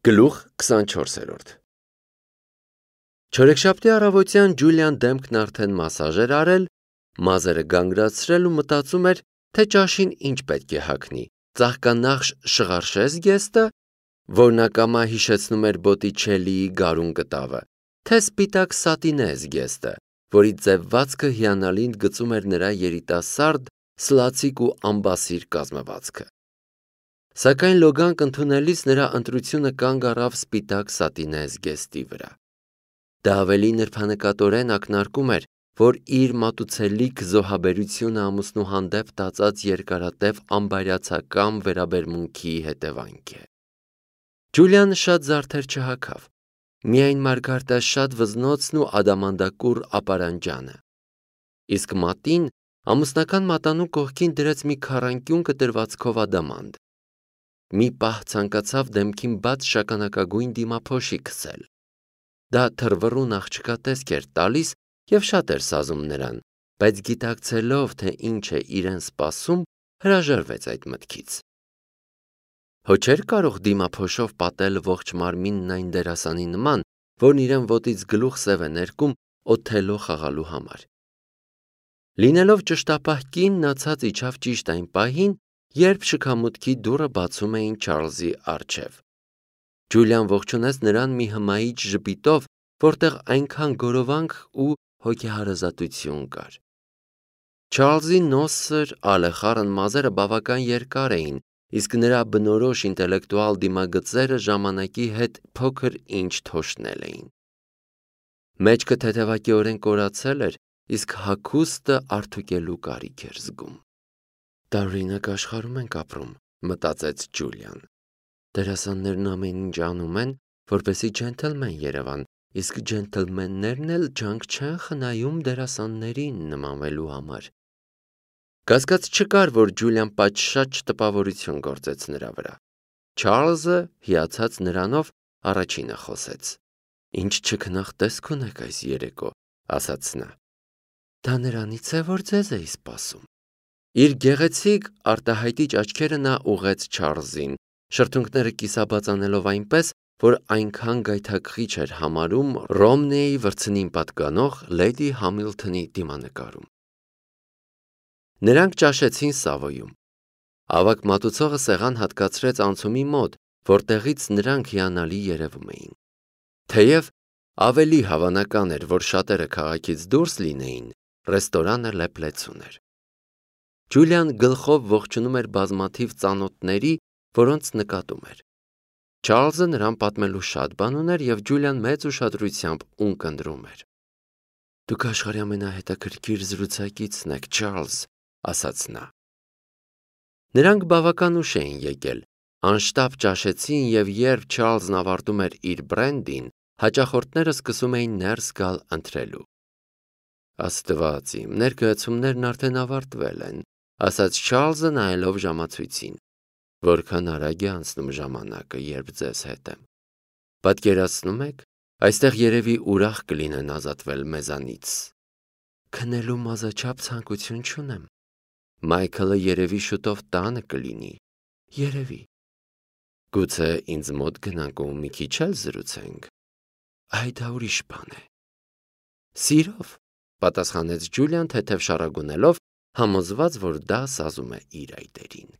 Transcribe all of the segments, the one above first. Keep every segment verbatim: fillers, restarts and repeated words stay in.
Գլուխ քսանչորսերորդ Չորեքշաբթի առավոտյան Ջուլիան դեմքն արդեն մասաժ էր արել, մազերը գանգրացրել ու մտածում էր, թե ճաշին ինչ պետք է հագնի՝ ծաղկանախշ շղարշես գեստը, որն ակամա հիշեցնում էր Բոտիչելիի գարուն կտավը, թե սպիտակ սատինե զգեստը, որի ձևվածքը հիանալի ընդգծում էր նրա երիտասարդ, սլացիկ ու ամբասիր կազմվածքը։ Սակայն լոգանք ընդունելիս նրա ընտրությունը կանգ առավ սպիտակ սատինե զգեստի վրա։ Դա ավելի նրբանկատորեն ակնարկում էր, որ իր մատուցելիք զոհաբերությունը ամուսնու հանդեպ տածած երկարատև ամբարյացակամ վերաբերմունքի հետևանք է։ Ջուլիան շատ զարդեր չհագավ, միայն մարգարտաշատ վզնոցն ու ադամանդակուռ ապարանջանը։ Իսկ մատին ամուսնական մատանու կողքին դրեց մի քառանկյուն կտրվածքով ադամանդ։ Մի պահ ցանկացավ դեմքին բաց շագանակագույն դիմափոշի քսել։ Դա թռվռուն աղջկա տեսք էր տալիս և շատ էր սազում նրան, բայց գիտակցելով, թե ինչ է իրեն սպասում, հրաժարվեց այդ մտքից։ Հո չէր կարող դիմափոշով պատել ողջ մարմինն այն դերասանի նման, որն իրեն ոտից գլուխ սև է ներկում Օթելլո խաղալու համար։ Լինելով ճշտապահ կին, նա ցած իջավ ճիշտ այն պահին, երբ շքամուտքի դուռը բացում էին Չարլզի առջև։ Ջուլիան ողջունեց նրան մի հմայիչ ժպիտով, որտեղ այնքան գորովանք ու հոգեհարազատություն կար։ Չարլզի նոսր, ալեխառն մազերը բավական երկար էին, իսկ նրա բնորոշ ինտելեկտուալ դիմագծերը ժամանակի հետ փոքր ինչ թոշնել էին։ Մեջքը թեթևակիորեն կորացել էր, իսկ հագուստը արդուկելու կարիք էր զգում։ Տարօրինակ աշխարհում ենք ապրում, մտածեց Ջուլիան։ Դերասաններն ամեն ինչ անում են, որպեսզի ջենթլմեն երևան, իսկ ջենթլմեններն էլ ջանք չեն խնայում դերասաններին նմանվելու համար։ Կասկած չկար, որ Ջուլիան պատշաճ տպավորություն գործեց նրա վրա։ Չարլզը, հիացած նրանով, առաջինը խոսեց։ Ինչ չքնաղ տեսք ունեք այս երեկո, ասաց նա։ Դա նրանից է, որ ձեզ էի սպասում։ Իր գեղեցիկ արտահայտիչ աչքերը նա ուղղեց Չարլզին, շրթունքները կիսաբացանելով այնպես, որ այնքան գայթակղիչ էր համարում Ռոմնեի վրձնին պատկանող Լեյդի Համիլթոնի դիմանկարում։ Նրանք ճաշեցին Սավոյում։ Ավագ մատուցողը սեղան հատկացրեց անցումի մոտ, որտեղից նրանք հիանալի երևում էին։ Թեև ավելի հավանական էր, որ շատերը քաղաքից դուրս լինեին, ռեստորանը լեփլեցուն էր։ Ջուլիան գլխով ողջունում էր բազմաթիվ ծանոթների, որոնց նկատում էր։ Չարլզը նրան պատմելու շատ բան ուներ և Ջուլիան մեծ ուշադրությամբ ունկնդրում էր։ Դուք աշխարհի ամենահետաքրքիր զրուցակիցն եք, Չարլզ, ասաց նա։ Նրանք բավական ուշ էին եկել, անշտապ ճաշեցին և երբ Չարլզն ավարտում էր իր բրենդին, հաճախորդները սկսում էին ներս գալ ընթրելու։ Աստված իմ, ներկայացումներն արդեն ավարտվել են, ասաց Չարլզը նայելով ժամացույցին։ Որքան արագ է անցնում ժամանակը, երբ ձեզ հետ եմ։ Պատկերացնում եք, այստեղ երևի ուրախ կլինեն ազատվել մեզանից։ Քնելու մազաչափ ցանկություն չունեմ։ Մայքլը երևի շուտով տանը կլինի։ Երևի։ Գուցե ինձ մոտ գնանք ու մի քիչ էլ զրուցենք։ Այ դա ուրիշ բան է։ Սիրով, պատասխանեց Ջուլիան թեթև շառագունելով, համոզված, որ դա սազում է իր այտերին։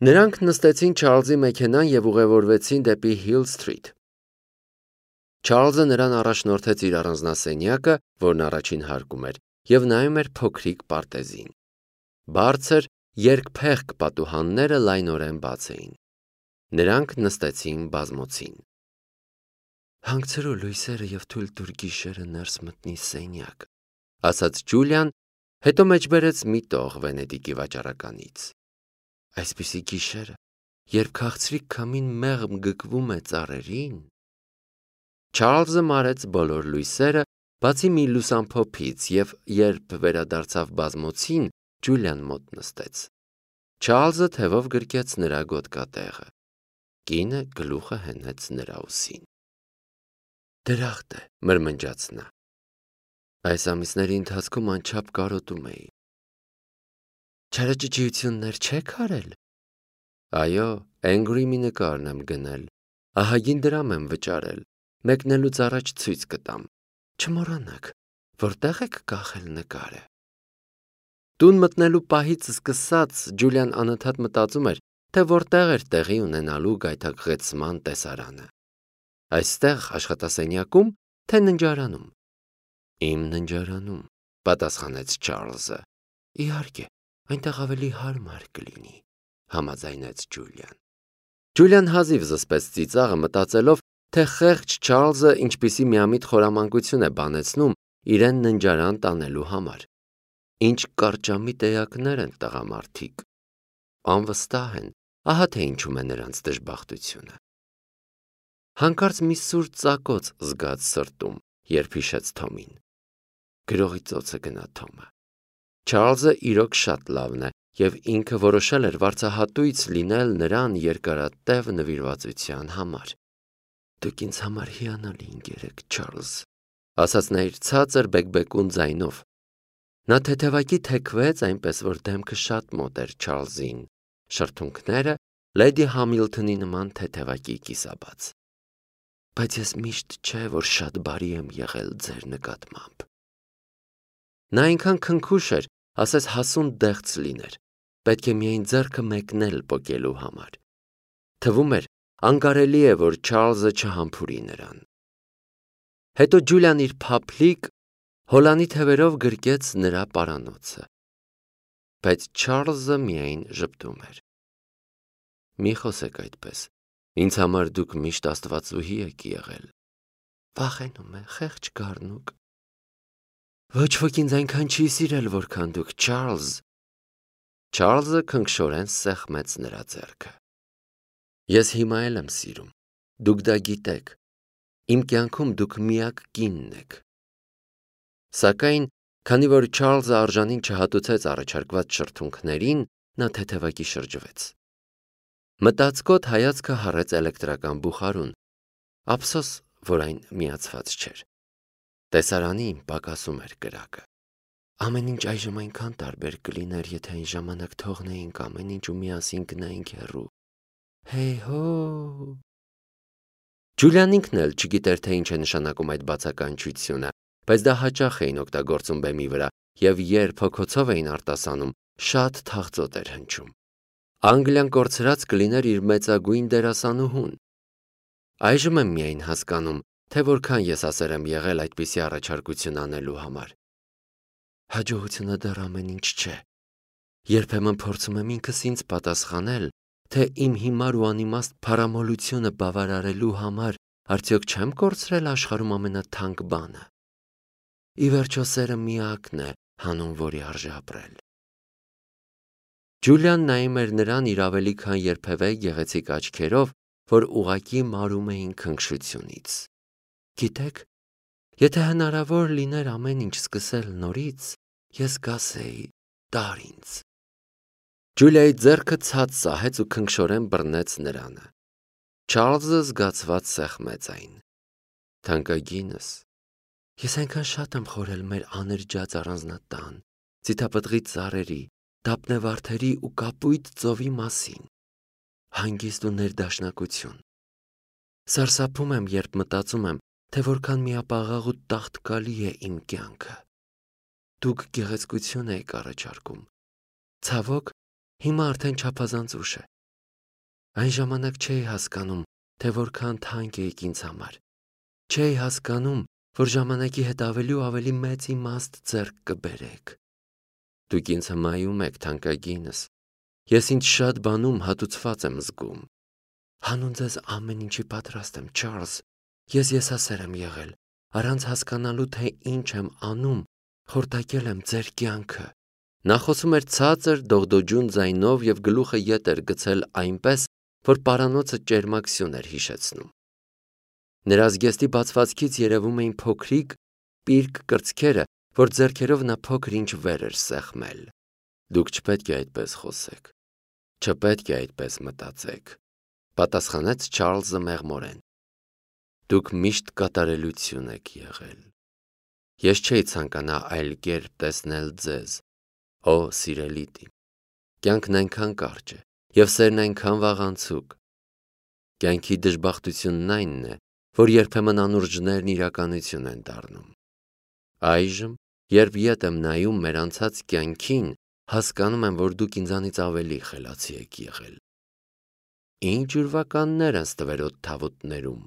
Նրանք նստեցին Չարլզի մեքենան և ուղևորվեցին դեպի Հիլ Սթրիթ։ Չարլզը նրան առաջնորդեց իր առանձնասենյակը, որն առաջին հարկում էր, և նայում էր փոքրիկ պարտեզին։ Բարձր, երկփեղկ պատուհանները լայնորեն բաց էին։ Նրանք նստեցին բազմոցին։ Հանգցրու լույսերը և թույլ տուր գիշերը ներս մտնի սենյակ, ասաց Ջուլիան, հետո մեջբերեց մի տող Վենետիկի վաճառականից։ Այսպիսի գիշերը, երբ քաղցրիկ քամին մեղմ գկվում է ծառերին։ Չարլզը մարեց բոլոր լույսերը, բացի մի լուսամփոփից, և երբ վերադարձավ բազմոցին, Ջուլիան մոտ նստեց։ Չարլզը թևով գրկեց նրա գոտկատեղը։ Կինը գլուխը հենեց նրա ուսին։ Դրախտ է, մրմնջաց նա։ Այս ամիսների ընթացքում անչափ կարոտում էի։ Չարաճճիություններ չեք արել։ Այո, Angry մի նկարն եմ գնել, ահագին դրամ եմ վճարել, մեկնելուց առաջ ցույց կտամ, չմոռանաք, որտեղ եք կախել նկարը։ Տուն մտնելու պահից սկսած Ջուլիան անընդհատ մտածում էր, թե որտեղ էր տեղի ունենալու գայթակղեցման տեսարանը։ Այստեղ աշխատասենյակում, թե ննջարանում։ Իմ ննջարանում, պատասխանեց Չարլզը։ Իհարկե, այնտեղ ավելի հարմար կլինի, համաձայնեց Ջուլիան։ Ջուլիան հազիվ զսպեց ծիծաղը, մտածելով, թե խեղճ Չարլզը ինչպիսի միամիտ խորամանկություն է բանեցնում իրեն ննջարան տանելու համար։ Ինչ կարճամիտ էակներ են տղամարդիկ։ Անվստահ են, ահա թե ինչում է նրանց դժբախտությունը։ Հանկարծ մի սուր ծակոց զգաց սրտում, երբ հիշեց Թոմին։ Գրողի ծոցը գնա Թոմը։ Չարլզը իրոք շատ լավն է, և ինքը որոշել էր վարձահատույց լինել նրան երկարատև նվիրվածության համար։ Դուք ինձ համար հիանալի ընկեր եք, Չարլզ, ասաց նա իր ցածր բեկբեկուն ձայնով։ Նա թեթևակի թեքվեց, այնպես որ դեմքը շատ մոտ էր Չարլզին, շրթունքները Լեդի Համիլթոնի նման թեթևակի կիսաբաց։ Բայց ես միշտ չէ, որ շատ բարի եմ եղել ձեր նկատմամբ։ Նա այնքան քնքուշ էր, ասես հասուն դեղց լիներ, պետք է միայն ձեռքը մեկնել պոկելու համար։ Թվում էր, անկարելի է, որ Չարլզը չհամբուրի նրան։ Հետո Ջուլիան իր փափլիկ հոլանի թևերով գրկեց նրա պարանոցը։ Բայց Չարլզը միայն ժպտում էր։ Մի խոսեք այդպես, ինձ համար դուք միշտ աստվածուհի եք եղել։ Վախենում է, խեղճ գառնուկ։ Ոչ ոք ինձ այնքան չի սիրել, որքան դուք, Չարլզ։ Չարլզը քնքշորեն սեղմեց նրա ձեռքը։ Ես հիմա էլ եմ սիրում, դուք դա գիտեք, իմ կյանքում դուք միակ կինն եք։ Սակայն, քանի որ Չարլզը արժանին չհատուցեց առաջարկված շրթունքներին, նա թեթևակի շրջվեց։ Մտածկոտ հայացքը հառեց էլեկտրական բուխարուն, ափսոս, որ այն միացված չէր։ Տեսարանի իմ պակասում էր կրակը։ Ամեն ինչ այժմ այնքան տարբեր կլիներ, եթե այն ժամանակ թողնեինք ամեն ինչ ու միասին գնայինք հեռու։ Հեյ հո։ Ջուլիան ինքն էլ չգիտեր, թե ինչ է նշանակում այդ բացականչությունը, բայց դա հաճախ էին օգտագործում բեմի վրա, և երբ հոգոցով էին արտասանում, շատ թախծոտ էր հնչում։ Անգլիան կորցրած կլիներ իր մեծագույն դերասանուհուն։ Այժմ եմ միայն հասկանում, թե որքան եսասեր եմ եղել այդպիսի առաջարկություն անելու համար։ Հաջողությունը դեռ ամեն ինչ չէ։ Երբեմն փորձում եմ ինքս ինձ պատասխանել, թե իմ հիմար ու անիմաստ փառամոլությունը բավարարելու համար արդյոք չեմ կորցրել աշխարհում ամենաթանկ բանը։ Ի վերջո սերը միակն է, հանուն որի արժե ապրել։ Ջուլիան նայում էր նրան իր ավելի քան երբևէ գեղեցիկ աչքերով, որ ուղղակի մարում էին քնքշությունից։ Գիտեք, եթե հնարավոր լիներ ամեն ինչ սկսել նորից, ես կասեի տար ինձ։ Ջուլիայի ձեռքը ցած սահեց ու քնքշորեն բռնեց նրանը։ Չարլզը զգացված սեղմեց այն։ Թանկագինս, ես այնքան շատ եմ խորել մեր աներճած առանձնատան, ձիթապտղի ծառերի, դափնեվարդերի ու կապույտ ծովի մասին։ Հանգիստ ու ներդաշնակություն։ Սարսափում եմ, երբ մտածում եմ, թե որքան միապաղաղ ու տաղտկալի է իմ կյանքը։ Դուք գեղեցկություն եք առաջարկում։ Ցավոք, հիմա արդեն չափազանց ուշ է։ Այն ժամանակ չէի հասկանում, թե որքան թանկ էիք ինձ համար։ Չէի հասկանում, որ ժամանակի հետ ավելի ու ավելի մեծ իմաստ ձեռք կբերեք։ Դուք ինձ հմայում եք, թանկագինս։ Ես ինձ շատ բանում հատուցված եմ զգում։ Հանուն ձեզ ամեն ինչի պատրաստ եմ, Չարլզ։ Ես եսասեր եմ եղել, առանց հասկանալու, թե ինչ եմ անում, խորտակել եմ ձեր կյանքը։ Նա խոսում էր ցածր դողդոջուն ձայնով և գլուխը ետ էր գցել այնպես, որ պարանոցը ճերմակ սյուն էր հիշեցնում։ Նրա զգեստի բացվածքից երևում էին փոքրիկ, պիրկ կրծքերը, որ ձեռքերով նա փոքր ինչ վեր էր սեղմել։ Դուք չպետք է այդպես խոսեք, չպետք է այդպես մտածեք, պատասխանեց Չարլզը մեղմորեն։ Դուք միշտ կատարելություն եք եղել։ Ես չէի ցանկանա այլ կերպ տեսնել ձեզ, ո սիրելի տի։ Կյանքն այնքան կարճ է, և սերն այնքան վաղանցուկ։ Կյանքի դժբախտությունն այնն է, որ երբեմն անուրջներն իրականություն են դառնում։ Այժմ, երբ ետ եմ նայում մեր անցած կյանքին, հասկանում եմ, որ դուք ինձանից ավելի խելացի եք եղել։ Ինչ ուրվականներ են ստվերոտ թավուտներում։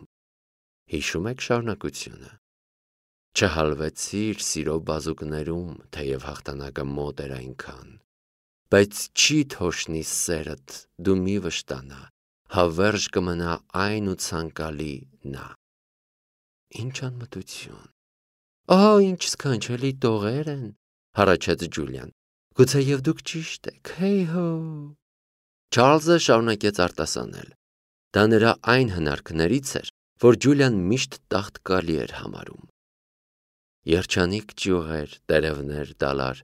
Հիշում եք շարունակությունը։ Չհալվեցիր սիրո բազուկներում, թեև հաղթանակը մոտ էր այնքան, բայց չի թոշնի սերդ, դու մի վշտանա, հավերժ կմնա այն ու ցանկալի նա։ Ինչ անմտություն։ Ահա ինչ սքանչելի տողեր են, հառաչեց Ջուլիան։ Գուցեև դուք ճիշտ եք, հեյ հո։ Չարլզը շարունակեց արտասանել։ Դա նրա այն հնարքներից էր, որ Ջուլիան միշտ տաղտկալի էր համարում։ Երջանիկ ճյուղեր, տերևներ, դալար,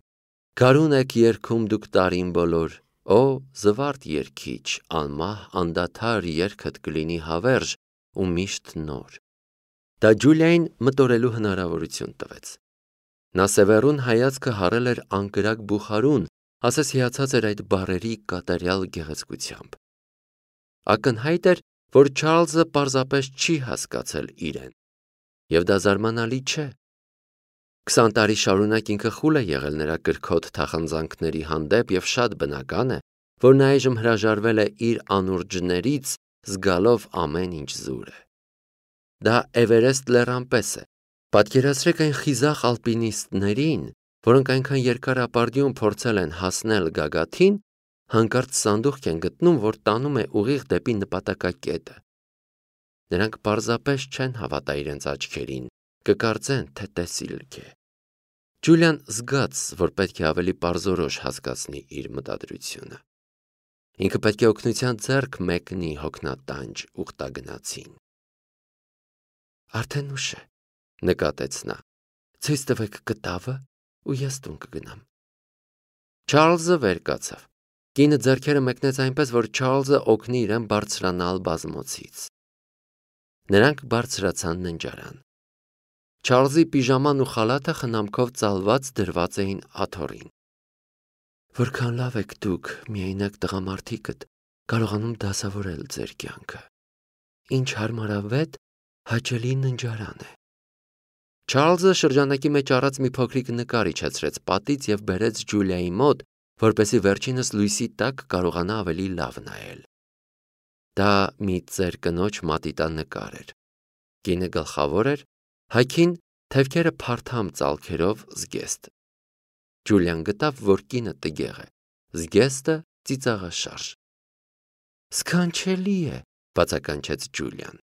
գարուն եք երգում դուք տարին բոլոր, օ զվարթ երգիչ, անմահ անդադար երգդ կլինի հավերժ ու միշտ նոր։ Դա Ջուլիային մտորելու հնարավորություն տվեց։ Նա սևեռուն հայացքը հառել էր անկրակ բուխարուն, ասես հիացած էր այդ բառերի կատարյալ գեղեցկությամբ։ Ակնհայտ էր, որ Չարլզը պարզապես չի հասկացել իրեն, և դա զարմանալի չէ։ Քսան տարի շարունակ ինքը խուլ է եղել նրա կրքոտ թախանձանքների հանդեպ և շատ բնական է, որ նա այժմ հրաժարվել է իր անուրջներից, զգալով ամեն ինչ զուր է։ Դա Էվերեստ լեռան պես է։ Պատկերացրեք այն խիզախ ալպինիստներին, որոնք այնքան երկար ապարդյուն փորձել են հասնել գագաթին, հանկարծ սանդուղք են գտնում, որ տանում է ուղիղ դեպի նպատակակետը։ Նրանք պարզապես չեն հավատա իրենց աչքերին, կկարծեն, թե տեսիլք է։ Ջուլիան զգաց, որ պետք է ավելի պարզորոշ հասկացնի իր մտադրությունը։ Ինքը պետք է օգնության ձեռք մեկնի հոգնատանջ ուխտագնացին։ Արդեն ուշ է, նկատեց նա։ Ցույց տվեք կտավը ու ես տուն կգնամ։ Չարլզը վեր կացավ։ Կինը ձեռքերը մեկնեց այնպես, որ Չարլզը օգնի իրեն բարձրանալ բազմոցից։ Նրանք բարձրացան ննջարան։ Չարլզի պիժաման ու խալաթը խնամքով ծալված դրված էին աթոռին։ Որքան լավ եք դուք, միայնակ տղամարդիկդ, կարողանում դասավորել ձեր կյանքը։ Ինչ հարմարավետ, հաճելի ննջարան է։ Չարլզը շրջանակի մեջ առած մի փոքրիկ նկար իջեցրեց պատից և բերեց Ջուլիայի մոտ, որպեսզի վերջինս լույսի տակ կարողանա ավելի լավ նայել։ Դա մի ծեր կնոջ մատիտանկար էր։ Կինը գլխավոր էր, հագին թևքերը փարթամ ծալքերով զգեստ։ Ջուլիան գտավ, որ կինը տգեղ է, զգեստը ծիծաղաշարժ։ Սքանչելի է, բացականչեց Ջուլիան։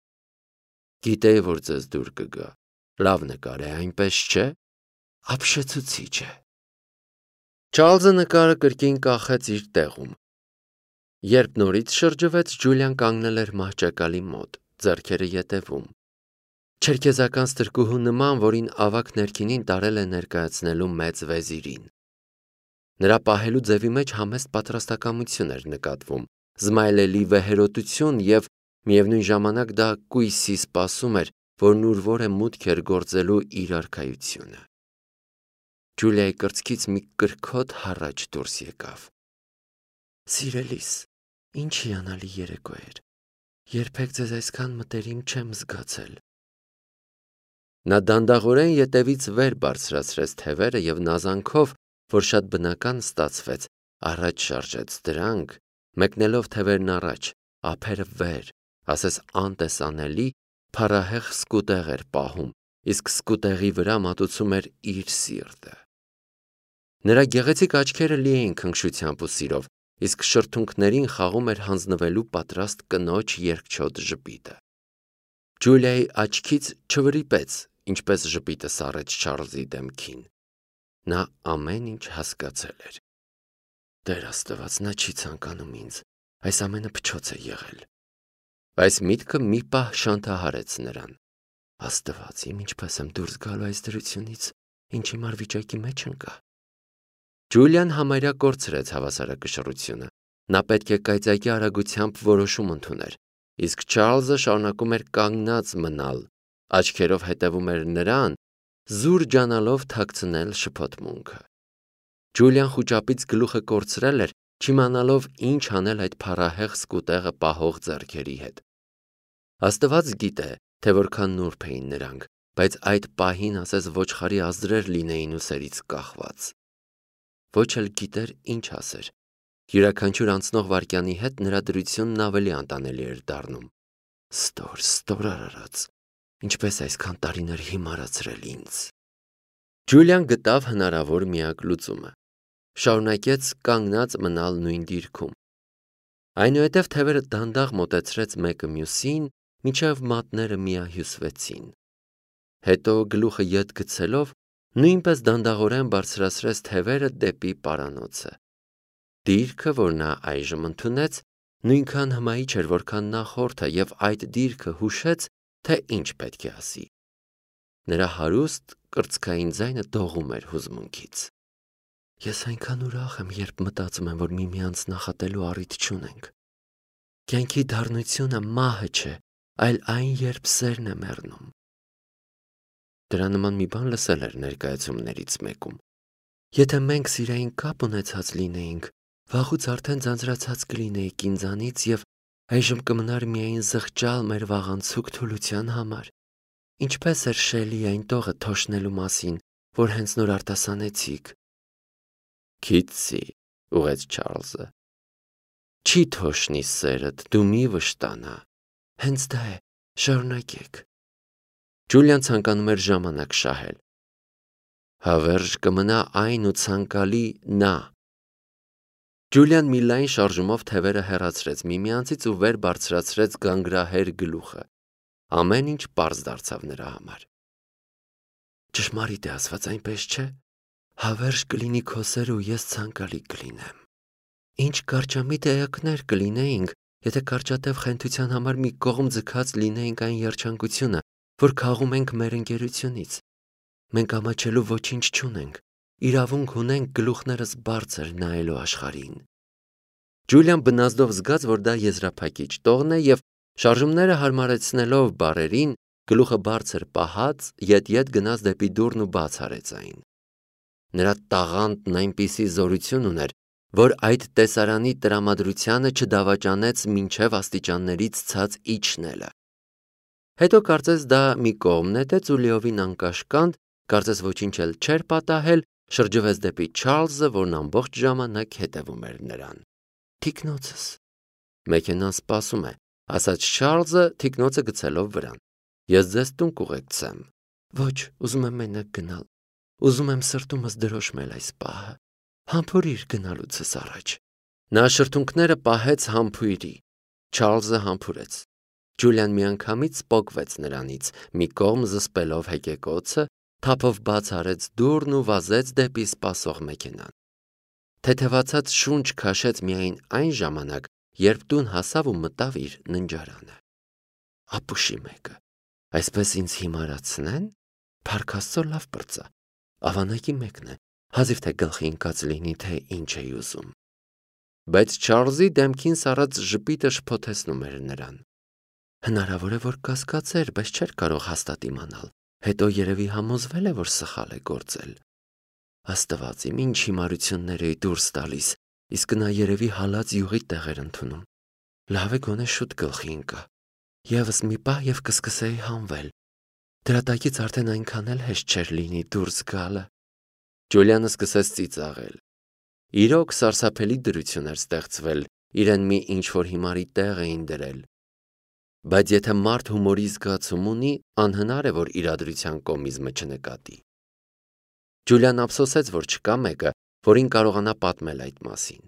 Գիտեի, որ ձեզ դուր կգա։ Լավ նկար է, այնպես չէ։ Ապշեցուցիչ է։ Չարլզը նկարը կրկին կախեց իր տեղում։ Երբ նորից շրջվեց, Ջուլիան կանգնել էր մահճակալի մոտ, ձեռքերը ետևում։ Չերքեզական ստրկուհու նման, որին ավագ ներքինին տարել է ներկայացնելու մեծ վեզիրին։ Նրա պահելու ձևի մեջ համեստ պատրաստակամություն էր նկատվում, զմայլելի վեհերոտություն և միևնույն ժամանակ դա կույսի սպասում էր, որն ուրվոր է մուտք էր գործելու իր արքայությունը։ Ջուլիայի կրծքից մի կրքոտ հառաչ դուրս եկավ։ Սիրելիս, ինչ հիանալի երեկո էր։ Երբեք ձեզ այսքան մտերիմ չեմ զգացել։ Նա դանդաղորեն ետևից վեր բարձրացրեց թևերը և նազանքով, որ շատ բնական ստացվեց, առաջ շարժեց դրանք, մեկնելով թևերն առաջ, ափերը վեր, ասես անտեսանելի, փառահեղ սկուտեղ էր պահում, իսկ սկուտեղի վրա մատուցում էր իր սիրտը։ Նրա գեղեցիկ աչքերը լի էին քնքշությամբ ու սիրով, իսկ շրթունքներին խաղում էր հանձնվելու պատրաստ կնոջ երկչոտ ժպիտը։ Ջուլիայի աչքից չվրիպեց, ինչպես ժպիտը սառեց Չարլզի դեմքին։ Նա ամեն ինչ հասկացել էր։ Տեր Աստված, նա չի ցանկանում ինձ, այս ամենը փչոց է եղել։ Այս միտքը մի պահ շանթահարեց նրան։ Աստված, իմ ինչպես եմ դուրս գալու այս դրությունից, ինչ հիմար վիճակի մեջ ընկա։ Ջուլիան համարյա կորցրեց հավասարակշռությունը։ Նա պետք է կայծակի արագությամբ որոշում ընդուներ, իսկ Չարլզը շարունակում էր կանգնած մնալ, աչքերով հետևում էր նրան, զուր ջանալով թաքցնել շփոթմունքը։ Ջուլիան խուճապից գլուխը կորցրել էր չիմանալով ինչ անել այդ փառահեղ սկուտեղը պահող ձեռքերի հետ։ Աստված գիտե, թե որքան նուրբ էին նրանք, բայց այդ պահին ասես ոչխարի ազդրեր լինեին ուսերից կախված։ Ոչ էլ գիտեր ինչ ասեր։ Յուրաքանչյուր անցնող վայրկյանի հետ նրա դրությունն ավելի անտանելի էր դառնում։ Ստոր, ստոր արարած, ինչպես այսքան տարիներ հիմարացրել ինձ։ Ջուլիան գտավ հնարավոր միակ լուծումը։ Շարունակեց կանգնած մնալ նույն դիրքում։ Այնուհետև թևերը դանդաղ մոտեցրեց մեկը մյուսին, մինչև մատները միահյուսվեցին։ Հետո գլուխը ետ գցելով նույնպես դանդաղորեն բարձրացրեց թևերը դեպի պարանոցը։ Դիրքը, որ նա այժմ ընդունեց, նույնքան հմայիչ էր, որքան նախորդը, եւ այդ դիրքը հուշեց, թե ինչ պետք է ասի։ Նրա հարուստ կրծքային ձայնը դողում էր հուզմունքից։ Ես այնքան ուրախ եմ, երբ մտածում եմ, որ միմյանց նախատելու առիթ չունենք։ Կյանքի դառնությունը մահը չէ, այլ այն, երբ սերն է մեռնում։ Դրա նման մի բան լսել էր ներկայացումներից մեկում։ Եթե մենք սիրային կապ ունեցած լինեինք, վաղուց արդեն ձանձրացած կլինեիք ինձանից եւ այժմ կմնար միայն զղջալ մեր վաղանցուկ թուլության համար։ Ինչպես էր Շելի այն տողը թոշնելու մասին, որ հենց նոր արտասանեցիք։ Քիթսի, ուղեց Չարլզը։ Չի թոշնի սերդ, դու մի վշտանա։ Հենց դա է, շարունակեք։ Ջուլիան ցանկանում էր ժամանակ շահել։ Հավերժ կմնա այն ու ցանկալի նա։ Ջուլիան մի լայն շարժումով թևերը հեռացրեց միմյանցից ու վեր բարձրացրեց գանգրահեր գլուխը։ Ամեն ինչ պարզ դարձավ նրա համար։ Ճշմարիտ է ասված այնպես չէ։ Հավերժ կլինի քո սերը ու ես ցանկալի կլինեմ։ Ինչ կարճամիտ էակներ կլինեինք, եթե կարճատև խենթության համար մի կողմ ձգած լինեինք այն երջանկությունը, որ քաղում ենք մեր ընկերությունից։ Մենք ամաչելու ոչինչ չունենք, իրավունք ունենք գլուխներս բարձր նայելու աշխարհին։ Ջուլիան բնազդով զգաց, որ դա եզրափակիչ տողն է եւ շարժումները հարմարեցնելով բարերին, գլուխը բարձր պահած, ետ-ետ գնաց դեպի դուռն ու բաց արեց այն։ Նրա տաղանդն այնպիսի զորություն ուներ, որ այդ տեսարանի տրամադրությանը չդավաճանեց մինչև աստիճաններից ցած իջնելը։ Հետո կարծես դա մի կողմ նետեց ու լիովին անկաշկանդ, կարծես ոչինչ էլ չէր պատահել, շրջվեց դեպի Չարլզը, որն ամբողջ ժամանակ հետևում էր նրան։ Թիկնոցս։ Մեքենան սպասում է, ասաց Չարլզը, թիկնոցը գցելով վրան։ Ես ձեզ տուն կուղեկցեմ։ Ոչ, ուզում եմ մենակ գնալ։ Ուզում եմ սրտումս դրոշմել այս պահը։ Համբուրիր գնալուցս առաջ։ Նա շրթունքները պահեց համբույրի։ Չարլզը համբուրեց։ Ջուլիան միանգամից պոկվեց նրանից, մի կողմ զսպելով հեկեկոցը, թափով բաց արեց դուռն ու վազեց դեպի սպասող մեքենան։ Թեթևացած շունչ քաշեց միայն այն ժամանակ, երբ տուն հասավ ու մտավ իր ննջարանը։ Ապուշի մեկը։ Այսպես ինձ հիմարացնեն, Փառք Աստծո լավ պրծա։ Ավանակի մեկն է, հազիվ թե գլխի ընկած լինի, թե ինչ էի ուզում։ Բայց Չարլզի դեմքին սառած ժպիտը շփոթեցնում էր նրան։ Հնարավոր է, որ կասկածեր, բայց չէր կարող հաստատ իմանալ։ Հետո երևի համոզվել է, որ սխալ է գործել։ Աստված իմ ինչ հիմարություններ էի դուրս տալիս, իսկ նա երևի հալած յուղի տեղ էր ընդունում։ Լավ է գոնե շուտ գլխի ընկա։ Եվս մի պահ եւ կսկսեի հանվել։ Դրա տակից արդեն այնքան էլ հեշտ չէր լինի դուրս գալը։ Ջուլիանը սկսեց ծիծաղել։ Իրոք սարսափելի դրություն էր ստեղծվել, իրեն մի ինչ-որ հիմարի տեղ էին դրել։ Բայց եթե մարդ հումորի զգացում ունի, անհնար է, որ իրադրության կոմիզմը չնկատի։ Ջուլիան ափսոսեց, որ չկա մեկը, որին կարողանա պատմել այդ մասին։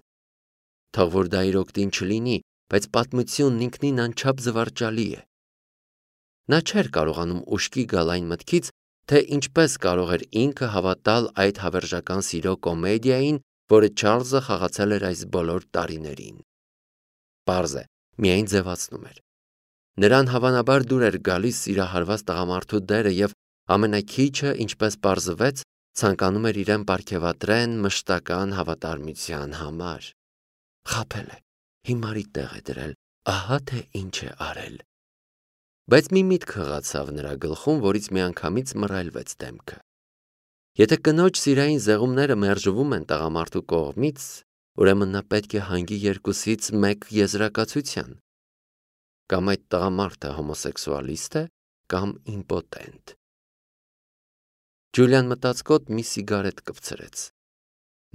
Թող որ դա իր օգտին չլինի, բայց պատմությունն ինքնին անչափ զվարճալի է։ Նա չէր կարողանում ուշքի գալ այն մտքից, թե ինչպես կարող էր ինքը հավատալ այդ հավերժական սիրո կոմեդիային, որը Չարլզը խաղացել էր այս բոլոր տարիներին։ Պարզ է, միայն ձևացնում էր։ Նրան հավանաբար դուր էր գալիս սիրահարված տղամարդու դերը եւ ամենաքիչը, ինչպես պարզվեց, ցանկանում էր իրեն պարգևատրեն մշտական հավատարմության համար։ Խաբել է, հիմարի տեղ է դրել, ահա թե ինչ է արել։ Բայց մի միտք խղացավ նրա գլխում, որից միանգամից մռայլվեց դեմքը։ Եթե կնոջ սիրային զեղումները մերժվում են տղամարդու կողմից, ուրեմն նա պետք է հանգի երկուսից մեկ եզրակացության։ Կամ այդ տղամարդը հոմոսեքսուալիստ է, կամ իմպոտենտ։ Ջուլիան մտածկոտ մի սիգարետ կպցրեց։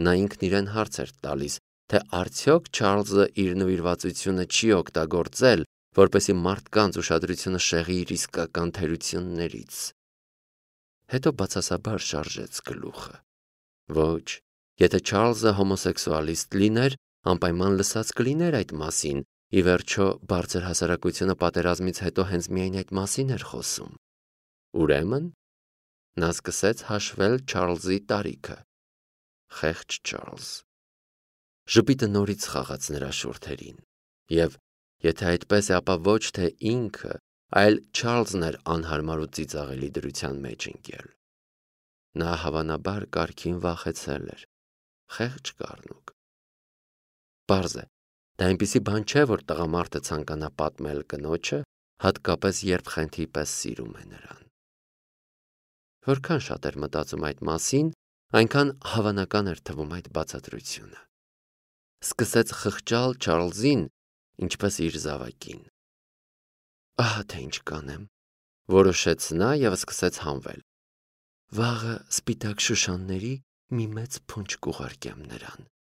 Նա ինքն իրեն հարց էր տալիս, թե արդյոք Չարլզը իր նվիրվածությունը չի օգտագործել, որպեսզի մարդկանց ուշադրությունը շեղի իր իսկական թերություններից։ Հետո բացասաբար շարժեց գլուխը։ Ոչ, եթե Չարլզը հոմոսեքսուալիստ լիներ, անպայման լսած կլիներ այդ մասին, ի վերջո բարձր հասարակությունը պատերազմից հետո հենց միայն այդ մասին էր խոսում։ Ուրեմն նա սկսեց հաշվել Չարլզի տարիքը։ Խեղճ Չարլզ։ Ժպիտը նորից խաղաց նրա շուրթերին, և եթե այդպես է, ապա ոչ թե ինքը, այլ Չարլզն էր անհարմար ու ծիծաղելի դրության մեջ ընկել։ Նա հավանաբար կարգին վախեցել էր։ Խեղճ կառնուկ։ Պարզ է, դա այնպիսի բան չէ, որ տղամարդը ցանկանա պատմել կնոջը, հատկապես երբ խենթի պես սիրում է նրան։ Որքան շատ էր մտածում այդ մասին, այնքան հավանական էր թվում այդ բացատրությունը։ Սկսեց խղճալ Չարլզին, ինչպես իր զավակին։ Ահա թե ինչ կանեմ, որոշեց նա և սկսեց հանվել։ Վաղը սպիտակ շուշանների մի մեծ փունջ կուղարկեմ նրան։